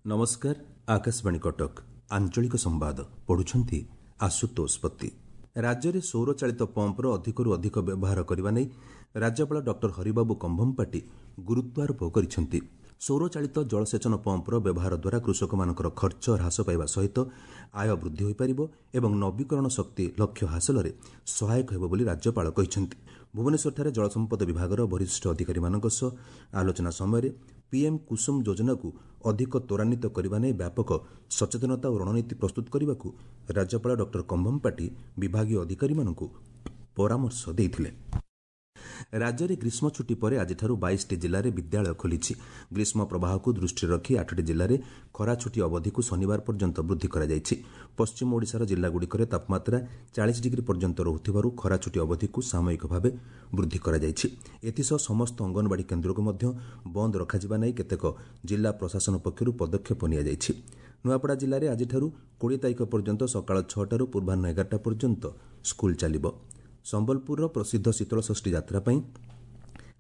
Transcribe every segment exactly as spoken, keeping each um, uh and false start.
ନମସ୍କାର, ଆକାଶବାଣୀ କଟକ, ଆଞ୍ଚଳିକ ସମ୍ବାଦ ପଢୁଛନ୍ତି ଆଶୁତୋଷ ପତି। ରାଜ୍ୟରେ ସୌରଚାଳିତ ପମ୍ପର ଅଧିକରୁ ଅଧିକ ବ୍ୟବହାର କରିବା ନେଇ ରାଜ୍ୟପାଳ ଡକ୍ଟର ହରିବାବୁ କମ୍ଭମପାଟି ଗୁରୁତ୍ୱାରୋପ କରିଛନ୍ତି। ସୌରଚାଳିତ ଜଳସେଚନ ପମ୍ପର ବ୍ୟବହାର ଦ୍ୱାରା କୃଷକମାନଙ୍କର ଖର୍ଚ୍ଚ ହ୍ରାସ ପାଇବା ସହିତ ଆୟ ବୃଦ୍ଧି ହୋଇପାରିବ ଏବଂ ନବୀକରଣ ଶକ୍ତି ଲକ୍ଷ୍ୟ ହାସଲରେ ସହାୟକ ହେବ ବୋଲି ରାଜ୍ୟପାଳ କହିଛନ୍ତି। ଭୁବନେଶ୍ୱରଠାରେ ଜଳସମ୍ପଦ ବିଭାଗର ବରିଷ୍ଠ ଅଧିକାରୀମାନଙ୍କ ସହ ଆଲୋଚନା ସମୟରେ ପିଏମ୍ କୁସୁମ ଯୋଜନାକୁ ଅଧିକ ତ୍ୱରାନ୍ୱିତ କରିବା ନେଇ ବ୍ୟାପକ ସଚେତନତା ଓ ରଣନୀତି ପ୍ରସ୍ତୁତ କରିବାକୁ ରାଜ୍ୟପାଳ ଡକ୍ଟର କମ୍ଭମପାଟି ବିଭାଗୀୟ ଅଧିକାରୀମାନଙ୍କୁ ପରାମର୍ଶ ଦେଇଥିଲେ। ରାଜ୍ୟରେ ଗ୍ରୀଷ୍ମ ଛୁଟି ପରେ ଆଜିଠାରୁ ବାଇଶଟି ଜିଲ୍ଲାରେ ବିଦ୍ୟାଳୟ ଖୋଲିଛି। ଗ୍ରୀଷ୍ମ ପ୍ରବାହକୁ ଦୃଷ୍ଟିରେ ରଖି ଆଠଟି ଜିଲ୍ଲାରେ ଖରାଛୁଟି ଅବଧିକୁ ଶନିବାର ପର୍ଯ୍ୟନ୍ତ ବୃଦ୍ଧି କରାଯାଇଛି। ପଶ୍ଚିମ ଓଡ଼ିଶାର ଜିଲ୍ଲାଗୁଡ଼ିକରେ ତାପମାତ୍ରା ଚାଳିଶ ଡିଗ୍ରୀ ପର୍ଯ୍ୟନ୍ତ ରହୁଥିବାରୁ ଖରାଛୁଟି ଅବଧିକୁ ସାମୟିକ ଭାବେ ବୃଦ୍ଧି କରାଯାଇଛି। ଏଥିସହ ସମସ୍ତ ଅଙ୍ଗନବାଡ଼ି କେନ୍ଦ୍ରକୁ ମଧ୍ୟ ବନ୍ଦ ରଖାଯିବା ନେଇ କେତେକ ଜିଲ୍ଲା ପ୍ରଶାସନ ପକ୍ଷରୁ ପଦକ୍ଷେପ ନିଆଯାଇଛି। ନୂଆପଡ଼ା ଜିଲ୍ଲାରେ ଆଜିଠାରୁ କୋଡ଼ିଏ ତାରିଖ ପର୍ଯ୍ୟନ୍ତ ସକାଳ ଛଅଟାରୁ ପୂର୍ବାହ୍ନ ଏଗାରଟା ପର୍ଯ୍ୟନ୍ତ ସ୍କୁଲ ଚାଲିବ। ସମ୍ବଲପୁରର ପ୍ରସିଦ୍ଧ ଶୀତଳଷଷ୍ଠୀ ଯାତ୍ରା ପାଇଁ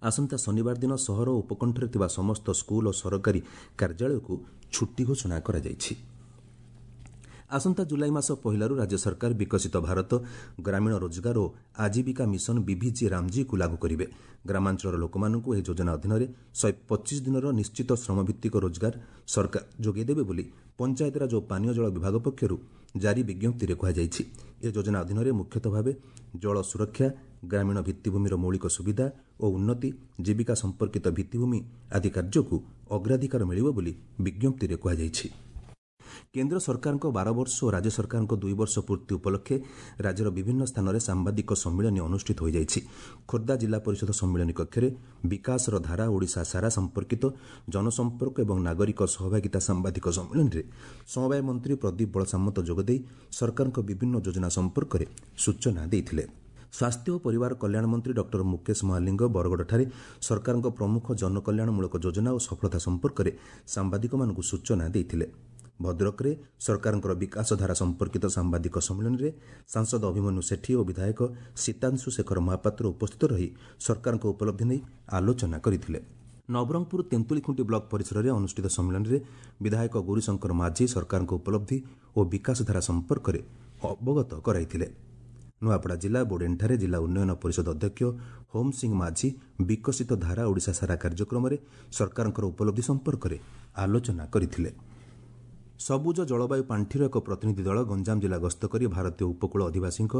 ଆସନ୍ତା ଶନିବାର ଦିନ ସହର ଓ ଉପକଣ୍ଠରେ ଥିବା ସମସ୍ତ ସ୍କୁଲ ଓ ସରକାରୀ କାର୍ଯ୍ୟାଳୟକୁ ଛୁଟି ଘୋଷଣା କରାଯାଇଛି। ଆସନ୍ତା ଜୁଲାଇ ମାସ ପହିଲାରୁ ରାଜ୍ୟ ସରକାର ବିକଶିତ ଭାରତ ଗ୍ରାମୀଣ ରୋଜଗାର ଓ ଆଜୀବିକା ମିଶନ ବିଭିଜି ରାମଜୀକୁ ଲାଗୁ କରିବେ। ଗ୍ରାମାଞ୍ଚଳର ଲୋକମାନଙ୍କୁ ଏହି ଯୋଜନା ଅଧୀନରେ ଶହେ ପଚିଶ ଦିନର ନିଶ୍ଚିତ ଶ୍ରମଭିତ୍ତିକ ରୋଜଗାର ସରକାର ଯୋଗାଇ ଦେବେ ବୋଲି ପଞ୍ଚାୟତିରାଜ ଓ ପାନୀୟ ଜଳ ବିଭାଗ ପକ୍ଷରୁ ଜାରି ବିଜ୍ଞପ୍ତିରେ କୁହାଯାଇଛି। ଏ ଯୋଜନା ଅଧୀନରେ ମୁଖ୍ୟତଃ ଭାବେ ଜଳ ସୁରକ୍ଷା, ଗ୍ରାମୀଣ ଭିତ୍ତିଭୂମିର ମୌଳିକ ସୁବିଧା ଓ ଉନ୍ନତି, ଜୀବିକା ସମ୍ପର୍କିତ ଭିତ୍ତିଭୂମି ଆଦି କାର୍ଯ୍ୟକୁ ଅଗ୍ରାଧିକାର ମିଳିବ ବୋଲି ବିଜ୍ଞପ୍ତିରେ କୁହାଯାଇଛି। କେନ୍ଦ୍ର ସରକାରଙ୍କ ବାର ବର୍ଷ ଓ ରାଜ୍ୟ ସରକାରଙ୍କ ଦୁଇ ବର୍ଷ ପୂର୍ତ୍ତି ଉପଲକ୍ଷେ ରାଜ୍ୟର ବିଭିନ୍ନ ସ୍ଥାନରେ ସାମ୍ବାଦିକ ସମ୍ମିଳନୀ ଅନୁଷ୍ଠିତ ହୋଇଯାଇଛି। ଖୋର୍ଦ୍ଧା ଜିଲ୍ଲା ପରିଷଦ ସମ୍ମିଳନୀ କକ୍ଷରେ ବିକାଶର ଧାରା ଓଡ଼ିଶା ସାରା ସମ୍ପର୍କିତ ଜନସମ୍ପର୍କ ଏବଂ ନାଗରିକ ସହଭାଗିତା ସାମ୍ବାଦିକ ସମ୍ମିଳନୀରେ ସମବାୟ ମନ୍ତ୍ରୀ ପ୍ରଦୀପ ବଳସାମନ୍ତ ଯୋଗଦେଇ ସରକାରଙ୍କ ବିଭିନ୍ନ ଯୋଜନା ସମ୍ପର୍କରେ ସୂଚନା ଦେଇଥିଲେ। ସ୍ୱାସ୍ଥ୍ୟ ଓ ପରିବାର କଲ୍ୟାଣ ମନ୍ତ୍ରୀ ଡକ୍ଟର ମୁକେଶ ମହାଲିଙ୍ଗ ବରଗଡ଼ଠାରେ ସରକାରଙ୍କ ପ୍ରମୁଖ ଜନକଲ୍ୟାଣମୂଳକ ଯୋଜନା ଓ ସଫଳତା ସମ୍ପର୍କରେ ସାମ୍ବାଦିକମାନଙ୍କୁ ସୂଚନା ଦେଇଥିଲେ। ଭଦ୍ରକରେ ସରକାରଙ୍କର ବିକାଶଧାରା ସମ୍ପର୍କିତ ସାମ୍ବାଦିକ ସମ୍ମିଳନୀରେ ସାଂସଦ ଅଭିମନ୍ୟୁ ସେଠୀ ଓ ବିଧାୟକ ସୀତାଂଶୁ ଶେଖର ମହାପାତ୍ର ଉପସ୍ଥିତ ରହି ସରକାରଙ୍କ ଉପଲବ୍ଧି ନେଇ ଆଲୋଚନା କରିଥିଲେ। ନବରଙ୍ଗପୁର ତେନ୍ତୁଳିଖୁଣ୍ଟି ବ୍ଲକ ପରିସରରେ ଅନୁଷ୍ଠିତ ସମ୍ମିଳନୀରେ ବିଧାୟକ ଗୌରୀଶଙ୍କର ମାଝୀ ସରକାରଙ୍କ ଉପଲବ୍ଧି ଓ ବିକାଶଧାରା ସମ୍ପର୍କରେ ଅବଗତ କରାଇଥିଲେ। ନୂଆପଡ଼ା ଜିଲ୍ଲା ବୋଡେନଠାରେ ଜିଲ୍ଲା ଉନ୍ନୟନ ପରିଷଦ ଅଧ୍ୟକ୍ଷ ହୋମ ସିଂ ମାଝୀ ବିକଶିତ ଧାରା ଓଡ଼ିଶା ସାରା କାର୍ଯ୍ୟକ୍ରମରେ ସରକାରଙ୍କର ଉପଲବ୍ଧି ସମ୍ପର୍କରେ ଆଲୋଚନା କରିଥିଲେ। ସବୁଜ ଜଳବାୟୁ ପାଣ୍ଠିର ଏକ ପ୍ରତିନିଧି ଦଳ ଗଞ୍ଜାମ ଜିଲ୍ଲା ଗସ୍ତ କରି ଭାରତୀୟ ଉପକୂଳ ଅଧିବାସୀଙ୍କ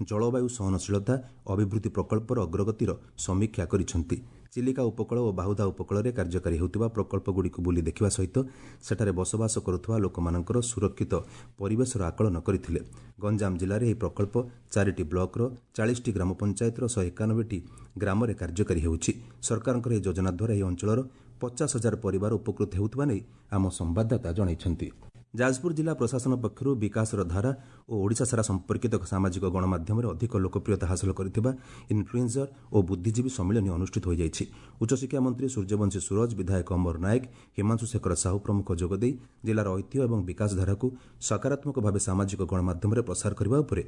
ଜଳବାୟୁ ସହନଶୀଳତା ଅଭିବୃଦ୍ଧି ପ୍ରକଳ୍ପର ଅଗ୍ରଗତିର ସମୀକ୍ଷା କରିଛନ୍ତି। ଚିଲିକା ଉପକୂଳ ଓ ବାହୁଦା ଉପକୂଳରେ କାର୍ଯ୍ୟକାରୀ ହେଉଥିବା ପ୍ରକଳ୍ପଗୁଡ଼ିକୁ ବୁଲି ଦେଖିବା ସହିତ ସେଠାରେ ବସବାସ କରୁଥିବା ଲୋକମାନଙ୍କର ସୁରକ୍ଷିତ ପରିବେଶର ଆକଳନ କରିଥିଲେ। ଗଞ୍ଜାମ ଜିଲ୍ଲାରେ ଏହି ପ୍ରକଳ୍ପ ଚାରିଟି ବ୍ଲକର ଚାଳିଶଟି ଗ୍ରାମ ପଞ୍ଚାୟତର ଶହେ ଏକାନବେଟି ଗ୍ରାମରେ କାର୍ଯ୍ୟକାରୀ ହେଉଛି। ସରକାରଙ୍କର ଏହି ଯୋଜନା ଦ୍ୱାରା ଏହି ଅଞ୍ଚଳର ପଚାଶ ହଜାର ପରିବାର ଉପକୃତ ହେଉଥିବା ନେଇ ଆମ ସମ୍ବାଦଦାତା ଜଣାଇଛନ୍ତି। ଯାଜପୁର ଜିଲ୍ଲା ପ୍ରଶାସନ ପକ୍ଷରୁ ବିକାଶର ଧାରା ଓ ଓଡ଼ିଶା ସାରା ସମ୍ପର୍କିତ ସାମାଜିକ ଗଣମାଧ୍ୟମରେ ଅଧିକ ଲୋକପ୍ରିୟତା ହାସଲ କରିଥିବା ଇନ୍ଫ୍ଲୁଏନ୍ସର ଓ ବୁଦ୍ଧିଜୀବୀ ସମ୍ମିଳନୀ ଅନୁଷ୍ଠିତ ହୋଇଯାଇଛି। ଉଚ୍ଚଶିକ୍ଷା ମନ୍ତ୍ରୀ ସୂର୍ଯ୍ୟବଂଶୀ ସୂରଜ, ବିଧାୟକ ଅମର ନାୟକ, ହିମାଂଶୁ ଶେଖର ସାହୁ ପ୍ରମୁଖ ଯୋଗଦେଇ ଜିଲ୍ଲାର ଐତିହ୍ୟ ଏବଂ ବିକାଶଧାରାକୁ ସକାରାତ୍ମକ ଭାବେ ସାମାଜିକ ଗଣମାଧ୍ୟମରେ ପ୍ରସାର କରିବା ଉପରେ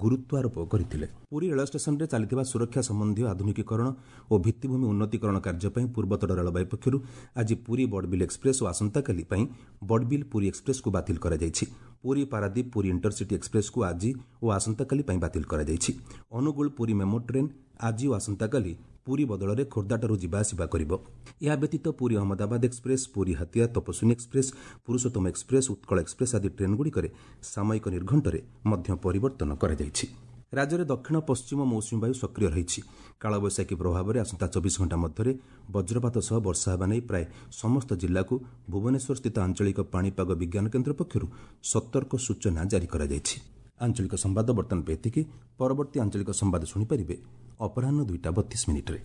ଗୁରୁତ୍ୱାରୋପ କରିଥିଲେ। ପୁରୀ ରେଳ ଷ୍ଟେସନରେ ଚାଲିଥିବା ସୁରକ୍ଷା ସମ୍ବନ୍ଧୀୟ ଆଧୁନିକୀକରଣ ଓ ଭିତ୍ତିଭୂମି ଉନ୍ନତିକରଣ କାର୍ଯ୍ୟ ପାଇଁ ପୂର୍ବତଟ ରେଳବାଇ ପକ୍ଷରୁ ଆଜି ପୁରୀ ବଡ଼ବିଲ ଏକ୍ସପ୍ରେସ୍ ଓ ଆସନ୍ତାକାଲି ପାଇଁ ବଡ଼ବିଲ ପୁରୀ ଏକ୍ସପ୍ରେସ୍କୁ ବାତିଲ କରାଯାଇଛି। ପୁରୀ ପାରାଦୀପ ପୁରୀ ଇଣ୍ଟରସିଟି ଏକ୍ସପ୍ରେସ୍କୁ ଆଜି ଓ ଆସନ୍ତାକାଲି ପାଇଁ ବାତିଲ କରାଯାଇଛି। ଅନୁଗୁଳ ପୁରୀ ମେମୋ ଟ୍ରେନ୍ ଆଜି ଓ ଆସନ୍ତାକାଲି ପୁରୀ ବଦଳରେ ଖୋର୍ଦ୍ଧାଠାରୁ ଯିବା ଆସିବା କରିବ। ଏହା ବ୍ୟତୀତ Puri Ahmedabad express, Puri Hatia Tapaswini express, Purushottam express, Utkal express ଆଦି ଟ୍ରେନ୍ଗୁଡ଼ିକରେ ସାମୟିକ ନିର୍ଘଣ୍ଟରେ ମଧ୍ୟ ପରିବର୍ତ୍ତନ କରାଯାଇଛି। ରାଜ୍ୟରେ ଦକ୍ଷିଣ ପଶ୍ଚିମ ମୌସୁମୀ ବାୟୁ ସକ୍ରିୟ ରହିଛି। କାଳବୈଶାଖୀ ପ୍ରଭାବରେ ଆସନ୍ତା ଚବିଶ ଘଣ୍ଟା ମଧ୍ୟରେ ବଜ୍ରପାତ ସହ ବର୍ଷା ହେବା ନେଇ ପ୍ରାୟ ସମସ୍ତ ଜିଲ୍ଲାକୁ ଭୁବନେଶ୍ୱରସ୍ଥିତ ଆଞ୍ଚଳିକ ପାଣିପାଗ ବିଜ୍ଞାନ କେନ୍ଦ୍ର ପକ୍ଷରୁ ସତର୍କ ସୂଚନା ଜାରି କରାଯାଇଛି। ଆଞ୍ଚଳିକ ସମ୍ବାଦ ବର୍ତ୍ତମାନ ପାଇଁ ଏତିକି। ପରବର୍ତ୍ତୀ ଆଞ୍ଚଳିକ ସମ୍ବାଦ ଶୁଣିପାରିବେ ଅପରାହ୍ନ ଦୁଇଟା ବତିଶ ମିନିଟ୍ରେ।